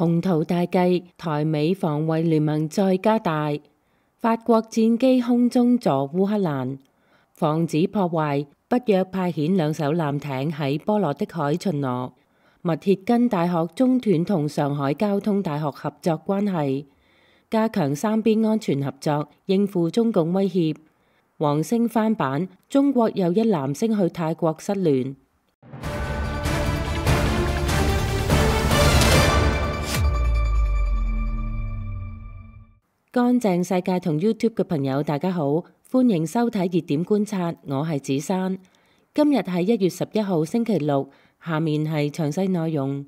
宏圖大計，台美防衛聯盟再加大。法國戰機空中助烏克蘭，防止破壞，北約派遣2艘艦艇喺波羅的海巡邏。密歇根大學中斷同上海交通大學合作關係，加強三邊安全合作，應付中共威脅。王星翻版，中國又一男星去泰國失聯。乾淨世界同 YouTube 嘅朋友大家好，歡迎收睇熱點觀察，我係子珊。今日係1月11號星期六，下面係詳細內容。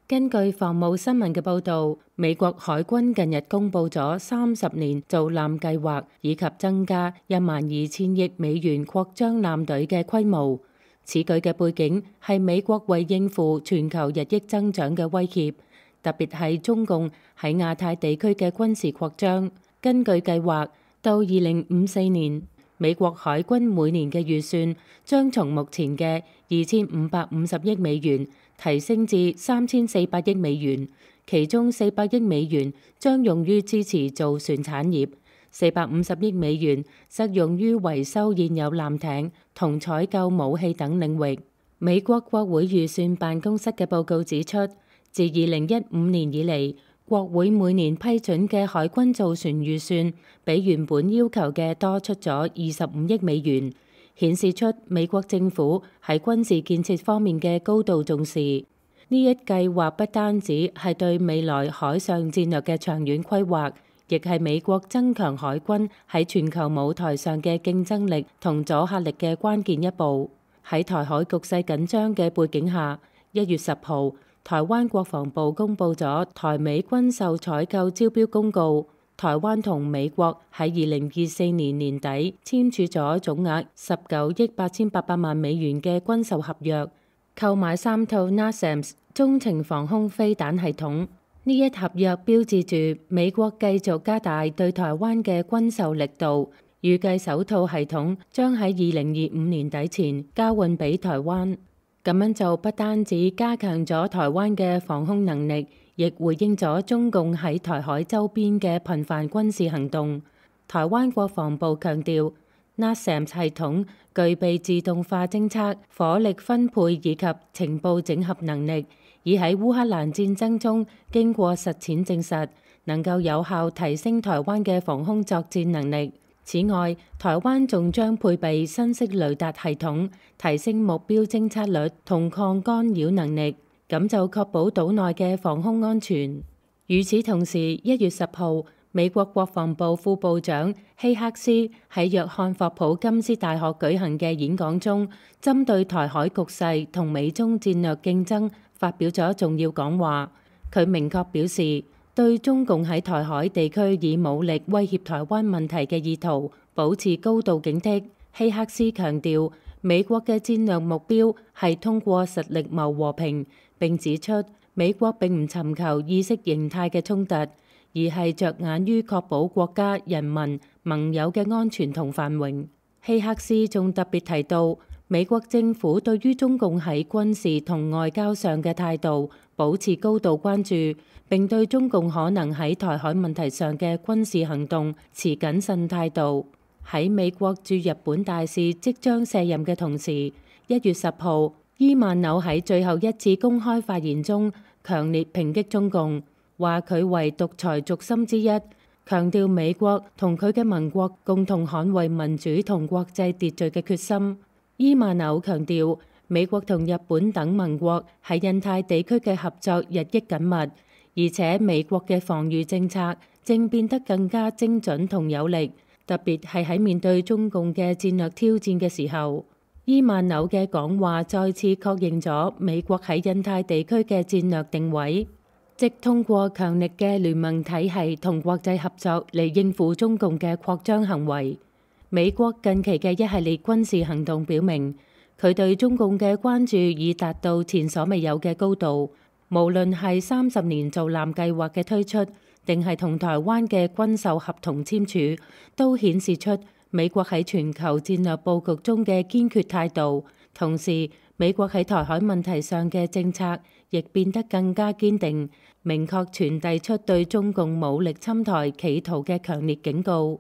根據防務新聞嘅報導，美國海軍近日公布咗30年造艦計劃，以及增加12000億美元擴張艦隊嘅規模。此舉嘅背景係美國為應付全球日益增長嘅威脅，特別係中共喺亞太地區嘅軍事擴張。根據計劃，到2054年，美國海軍每年嘅預算將從目前嘅2550億美元提升至3400億美元，其中400億美元將用於支持造船產業，450億美元則用於維修現有艦艇同採購武器等領域。美國國會預算辦公室嘅報告指出，自2015年以嚟，國會每年批准嘅海軍造船預算比原本要求嘅多出咗25億美元，顯示出美國政府喺軍事建設方面嘅高度重視。呢一計劃不單止係對未來海上戰略嘅長遠規劃，亦係美國增強海軍喺全球舞台上嘅競爭力同阻嚇力嘅關鍵一步。喺台海局勢緊張嘅背景下，1月10號，台灣國防部公布咗台美軍售採購招標公告，台灣同美國喺2024年年底簽署咗總額19億8800萬美元嘅軍售合約，購買3套 NASAMS 中程防空飛彈系統。呢一合約標誌住美國繼續加大對台灣嘅軍售力度，預計首套系統將喺2025年底前交換俾台灣。咁樣就不單止加強咗台灣嘅防空能力，亦回應咗中共喺台海周邊嘅頻繁軍事行動。台灣國防部強調，NASAMS 系統具備自動化偵測、火力分配以及情報整合能力，已喺烏克蘭戰爭中經過實踐證實，能夠有效提升台灣嘅防空作戰能力。此外，台灣仲將配備新式雷達系統，提升目標偵測率同抗干擾能力，咁就確保島內嘅防空安全。與此同時，1月10號，美國國防部副部長希克斯喺約翰霍普金斯大學舉行嘅演講中，針對台海局勢同美中戰略競爭發表咗重要講話。佢明確表示，對中共喺台海地區以武力威脅台灣問題嘅意圖保持高度警惕。希克斯強調，美國嘅戰略目標係通過實力謀和平，並指出美國並唔尋求意識形態嘅衝突，而係着眼於確保國家、人民、盟友嘅安全同繁榮。希克斯仲特別提到，美國政府對於中共喺軍事同外交上嘅態度保持高度關注，並對中共可能喺台海問題上嘅軍事行動持謹慎態度。喺美國駐日本大使即將卸任嘅同時，1月10號，伊萬紐喺最後一次公開發言中強烈抨擊中共，話佢為獨裁軸心之一，強調美國同佢嘅盟國共同捍衛民主同國際秩序嘅決心。伊萬紐強調，美國同日本等盟國喺印太地區嘅合作日益緊密，而且美國嘅防禦政策正變得更加精準同有力，特別係喺面對中共嘅戰略挑戰嘅時候。伊萬紐嘅講話再次確認咗美國喺印太地區嘅戰略定位，即通過強力嘅聯盟體系同國際合作嚟應付中共嘅擴張行為。美國近期嘅一系列軍事行動表明，佢對中共嘅關注已達到前所未有嘅高度。無論係30年造艦計劃嘅推出，定係同台灣嘅軍售合同簽署，都顯示出美國喺全球戰略佈局中嘅堅決態度。同時，美國喺台海問題上嘅政策亦變得更加堅定，明確傳遞出對中共武力侵台企圖嘅強烈警告。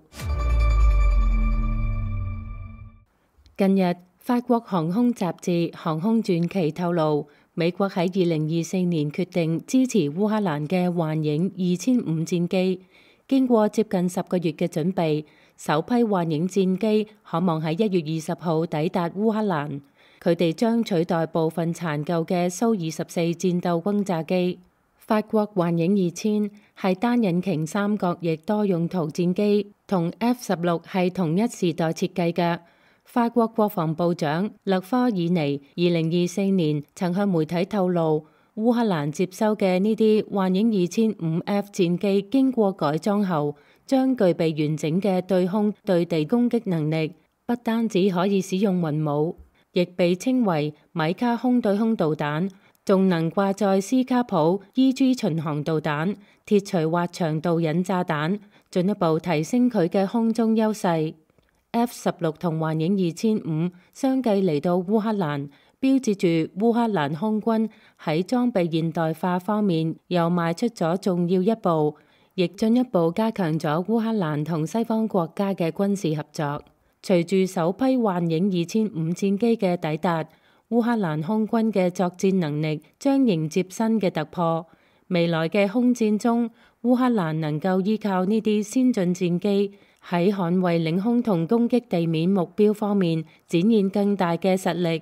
近日，法國航空雜誌《航空傳奇》透露，美國喺2024年決定支持烏克蘭嘅幻影2005戰機，經過接近10個月嘅準備，首批幻影戰機可望喺1月20號抵達烏克蘭。佢哋將取代部分殘舊嘅蘇24戰鬥轟炸機。法國幻影2000係單引擎三角翼多用途戰機，同 F-16係同一時代設計嘅。法國國防部長勒科爾尼2024年曾向媒體透露，烏克蘭接收嘅呢啲幻影2005F 戰機經過改裝後，將具備完整嘅對空對地攻擊能力，不單止可以使用雲母，亦被稱為米卡空對空導彈，仲能掛載斯卡普 EG 巡航導彈、鐵錘滑翔導引炸彈，進一步提升佢嘅空中優勢。F-16同幻影2005相繼嚟到烏克蘭，標誌住烏克蘭空軍喺裝備現代化方面又邁出咗重要一步，亦進一步加強咗烏克蘭同西方國家嘅軍事合作。隨住首批幻影2005戰機嘅抵達，烏克蘭空軍嘅作戰能力將迎接新嘅突破。未來嘅空戰中，烏克蘭能夠依靠呢啲先進戰機，喺捍衛領空同攻擊地面目標方面展現更大嘅實力。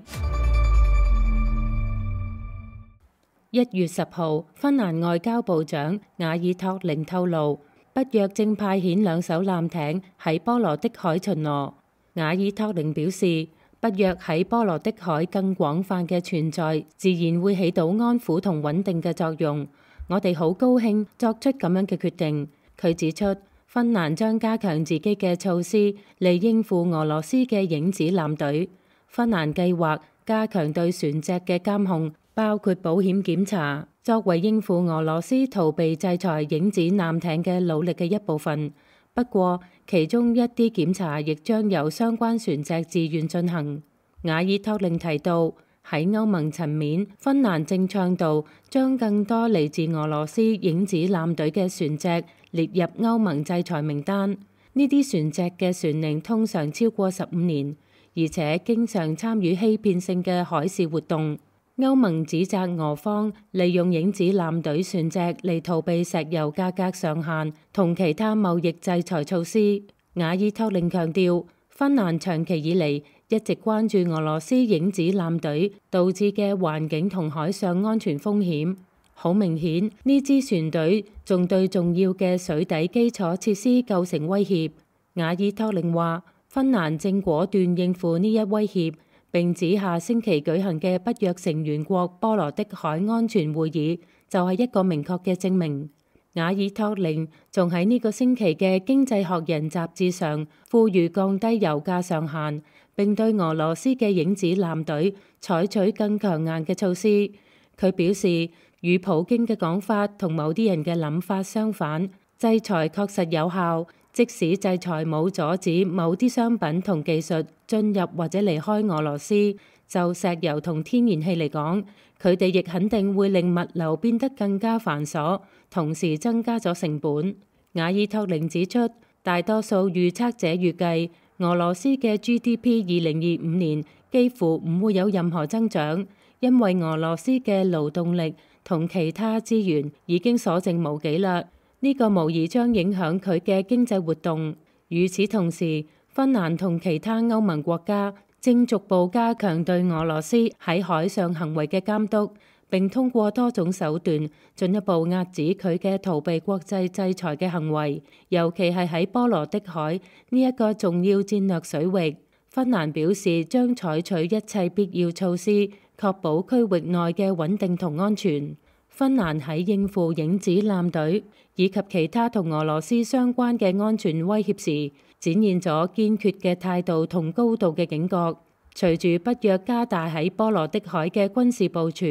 1月10號，芬蘭外交部長瓦爾托寧透露，北約正派遣2艘艦艇喺波羅的海巡邏。瓦爾托寧表示，北約喺波羅的海更廣泛嘅存在，自然會起到安撫同穩定嘅作用。我哋好高興作出咁樣嘅決定。佢指出，芬蘭將加強自己嘅措施嚟應付俄羅斯嘅影子艦隊。芬蘭計劃加強對船隻嘅監控，包括保險檢查，作為應付俄羅斯逃避制裁影子艦艇嘅努力嘅一部分。不過，其中一啲檢查亦將由相關船隻自願進行。瓦爾托寧提到，喺歐盟層面，芬蘭正倡導將更多嚟自俄羅斯影子艦隊嘅船隻列入歐盟制裁名單。呢啲船隻嘅船齡通常超過15年，而且經常參與欺騙性嘅海事活動。歐盟指責俄方利用影子艦隊船隻嚟逃避石油價格上限同其他貿易制裁措施。瓦爾托寧強調，芬蘭長期以嚟一直關注俄羅斯影子艦隊導致嘅環境同海上安全風險。好明顯，呢支船隊仲對重要嘅水底基礎設施構成威脅。瓦爾托寧話，芬蘭正果斷應付呢一威脅，並指下星期舉行嘅北約成員國波羅的海安全會議就係一個明確嘅證明。瓦爾托寧仲喺呢個星期嘅《經濟學人》雜誌上呼籲降低油價上限，並對俄羅斯嘅影子艦隊採取更強硬嘅措施。佢表示，與普京嘅講法同某啲人嘅諗法相反，制裁確實有效，即使制裁冇阻止某啲商品同技術進入或者離開俄羅斯，就石油同天然氣嚟講，佢哋亦肯定會令物流變得更加繁瑣，同時增加咗成本。瓦爾托寧指出，大多數預測者預計俄羅斯嘅 GDP 2025年幾乎唔會有任何增長，因為俄羅斯嘅勞動力同其他資源已經所剩無幾啦。呢個無疑將影響佢嘅經濟活動。與此同時，芬蘭同其他歐盟國家正逐步加強對俄羅斯喺海上行為嘅監督，並通過多種手段進一步遏止佢嘅逃避國際制裁嘅行為，尤其係喺波羅的海呢一個重要戰略水域。芬蘭表示將採取一切必要措施，確保區域內嘅穩定同安全。芬蘭喺應付影子艦隊以及其他同俄羅斯相關嘅安全威脅時，展現咗堅決嘅態度同高度嘅警覺。隨住北約加大喺波羅的海嘅軍事部署，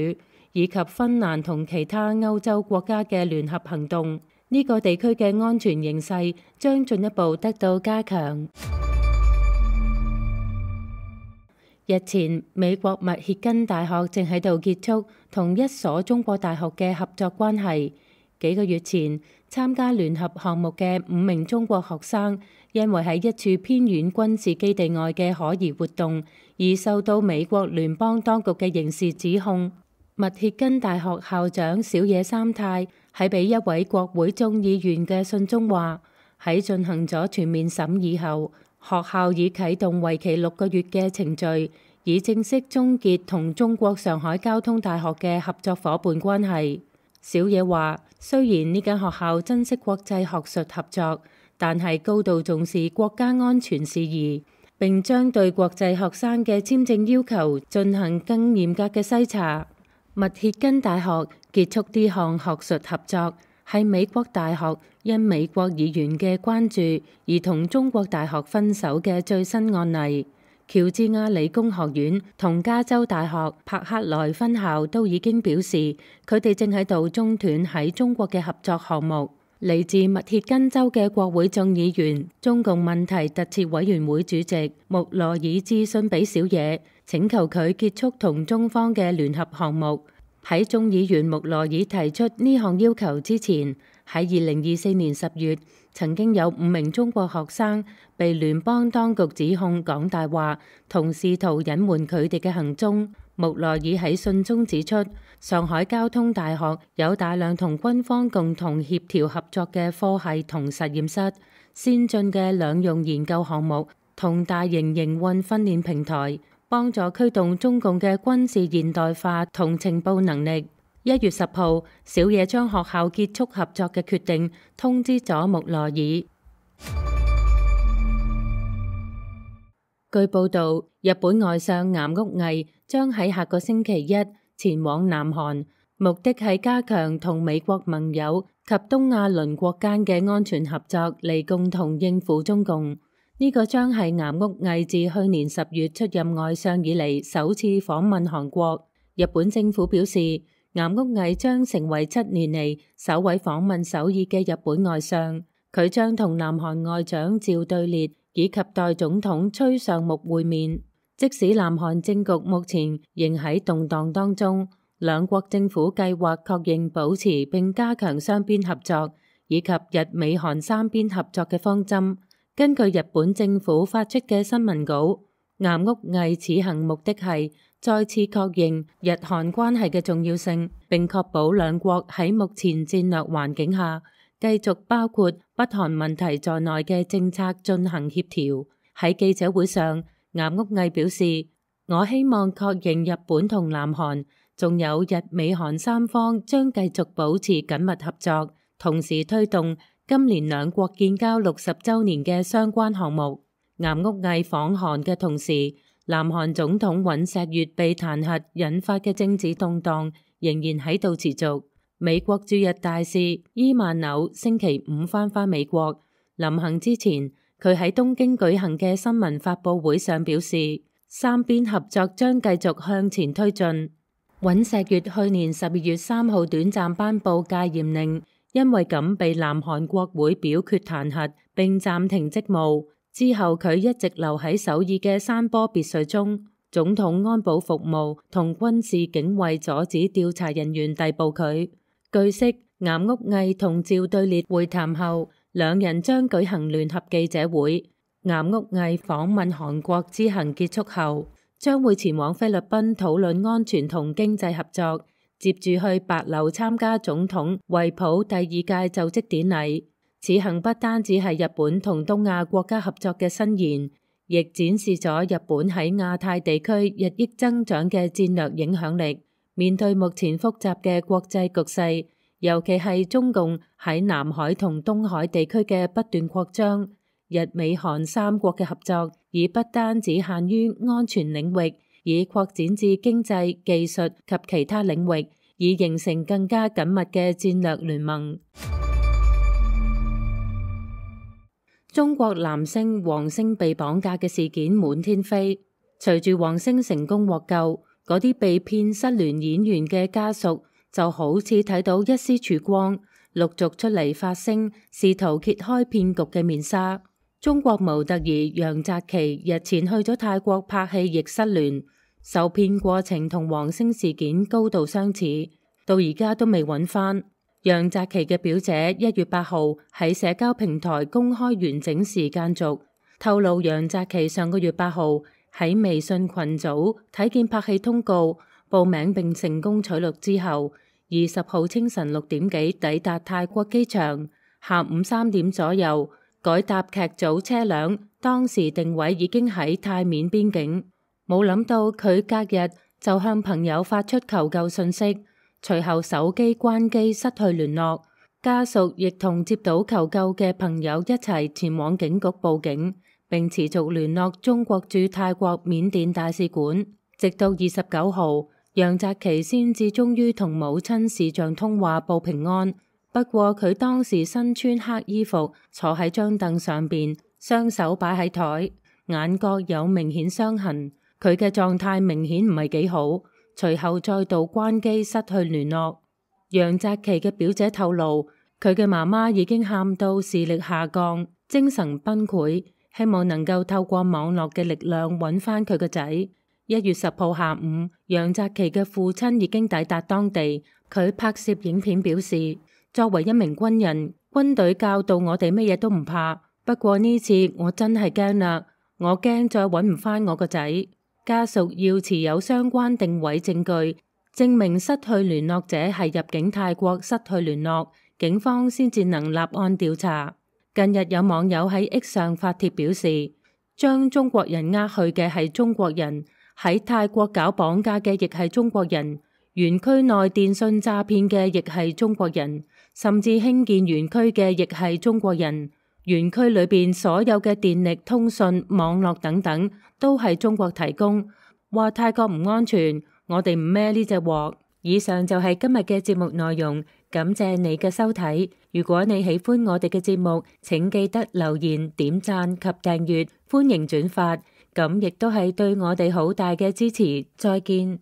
以及芬蘭同其他歐洲國家嘅聯合行動，呢個地區嘅安全形勢將進一步得到加強。日前，美國密歇根大學正喺度結束同一所中國大學嘅合作關係。幾個月前，參加聯合項目嘅5名中國學生，因為喺一處偏遠軍事基地外嘅可疑活動，而受到美國聯邦當局嘅刑事指控。密歇根大學校長小野三太喺俾一位國會眾議員嘅信中話：喺進行咗全面審議後，學校已啟動為期6個月嘅程序，以正式終結同中國上海交通大學嘅合作夥伴關係。小野話：雖然呢間學校珍惜國際學術合作，但係高度重視國家安全事宜，並將對國際學生嘅簽證要求進行更嚴格嘅篩查。密歇根大學結束呢項學術合作，係美國大學因美國議員嘅關注而同中國大學分手嘅最新案例。喬治亞理工學院同加州大學柏克萊分校都已經表示，佢哋正喺度中斷喺中國嘅合作項目。嚟自密歇根州嘅國會眾議員中共問題特設委員會主席穆羅爾致信俾小野，請求佢結束同中方嘅聯合項目。喺眾議員穆羅爾提出呢項要求之前，喺2024年10月，曾經有5名中國學生被聯邦當局指控講大話，同試圖隱瞞佢哋嘅行蹤。穆羅爾喺信中指出，上海交通大學有大量同軍方共同協調合作嘅科系同實驗室、先進嘅兩用研究項目同大型營運訓練平台，幫助驅動中共嘅軍事現代化同情報能力。1月10號，小野將學校結束合作嘅決定通知咗穆羅爾。據報道，日本外相岩屋毅將喺下個星期一前往南韓，目的係加強同美國盟友及東亞鄰國間嘅安全合作，嚟共同應付中共。呢個將係岩屋毅自去年10月出任外相以嚟首次訪問韓國。日本政府表示，岩屋毅將成為7年嚟首位訪問首爾嘅日本外相。佢將同南韓外長趙對列以及代總統崔尚木會面。即使南韓政局目前仍喺動盪當中，兩國政府計劃確認保持並加強雙邊合作，以及日美韓三邊合作嘅方針。根據日本政府發出嘅新聞稿，岩屋毅此行目的係再次確認日韓關係嘅重要性，並確保兩國喺目前戰略環境下繼續包括北韓問題在內嘅政策進行協調。喺記者會上，岩屋毅表示：我希望確認日本同南韓，仲有日美韓三方將繼續保持緊密合作，同時推動今年兩國建交60週年嘅相關項目。岩屋毅訪韓嘅同時，南韓總統尹錫悅被彈劾引發嘅政治動盪仍然喺度持續。美國駐日大使伊萬紐星期5返美國，臨行之前，佢喺東京舉行嘅新聞發佈會上表示，三邊合作將繼續向前推進。尹錫悅去年12月3號短暫頒布戒嚴令，因為咁被南韓國會表決彈劾並暫停職務。之後佢一直留喺首爾嘅山坡別墅中，總統安保服務同軍事警衛阻止調查人員逮捕佢。據悉，岩屋毅同趙對列會談後，兩人將舉行聯合記者會。岩屋毅訪問韓國之行結束後，將會前往菲律賓討論安全同經濟合作，接住去白樓參加總統惠普第2屆就職典禮。此行不單止係日本同東亞國家合作嘅伸延，亦展示咗日本喺亞太地區日益增長嘅戰略影響力。面對目前複雜嘅國際局勢，尤其係中共喺南海同東海地區嘅不斷擴張，日美韓三國嘅合作已不單只限於安全領域，已擴展至經濟、技術及其他領域，以形成更加緊密嘅戰略聯盟。中國男星王星被綁架嘅事件滿天飛，隨住王星成功獲救，嗰啲被騙失聯演員嘅家屬就好似睇到一絲曙光，陸續出嚟發聲，試圖揭開騙局嘅面紗。中國模特兒楊澤琪日前去咗泰國拍戲，亦失聯，受騙過程同王星事件高度相似，到而家都未揾返。楊澤琪嘅表姐1月8號喺社交平台公開完整時間軸，透露楊澤琪上個月8號喺微信群組睇見拍戲通告，報名並成功取錄之後，20號清晨6點幾抵達泰國機場，下午3點左右改搭劇組車輛，當時定位已經喺泰緬邊境。冇諗到佢隔日就向朋友發出求救信息，隨後手機關機失去聯絡，家屬亦同接到求救嘅朋友一齊前往警局報警，並持續聯絡中國駐泰國緬甸大使館，直到29號，楊澤琪先至終於同母親視像通話報平安。不過佢當時身穿黑衣服，坐喺張凳上邊，雙手擺喺台，眼角有明顯傷痕，佢嘅狀態明顯唔係幾好。隨後再度關機失去聯絡。楊澤琪嘅表姐透露，佢嘅媽媽已經喊到視力下降，精神崩潰，希望能夠透過網絡嘅力量揾翻佢個仔。1月10號下午，楊澤琪嘅父親已經抵達當地，佢拍攝影片表示，作為一名軍人，軍隊教導我哋乜嘢都唔怕，不過呢次我真係驚啦，我驚再揾唔翻我個仔。家屬要持有相關定位證據，證明失去聯絡者係入境泰國失去聯絡，警方先至能立案調查。近日有網友喺 X 上發帖表示，將中國人呃去嘅係中國人，喺泰國搞綁架嘅亦係中國人，園區內電信詐騙嘅亦係中國人，甚至興建園區嘅亦係中國人。園區裏邊所有嘅電力、通訊、網絡等等都係中國提供，話泰國唔安全，我哋唔孭呢隻鑊。以上就係今日嘅節目內容，感謝你嘅收睇。如果你喜歡我哋嘅節目，請記得留言、點讚及訂閱，歡迎轉發，咁亦都係對我哋好大嘅支持。再見。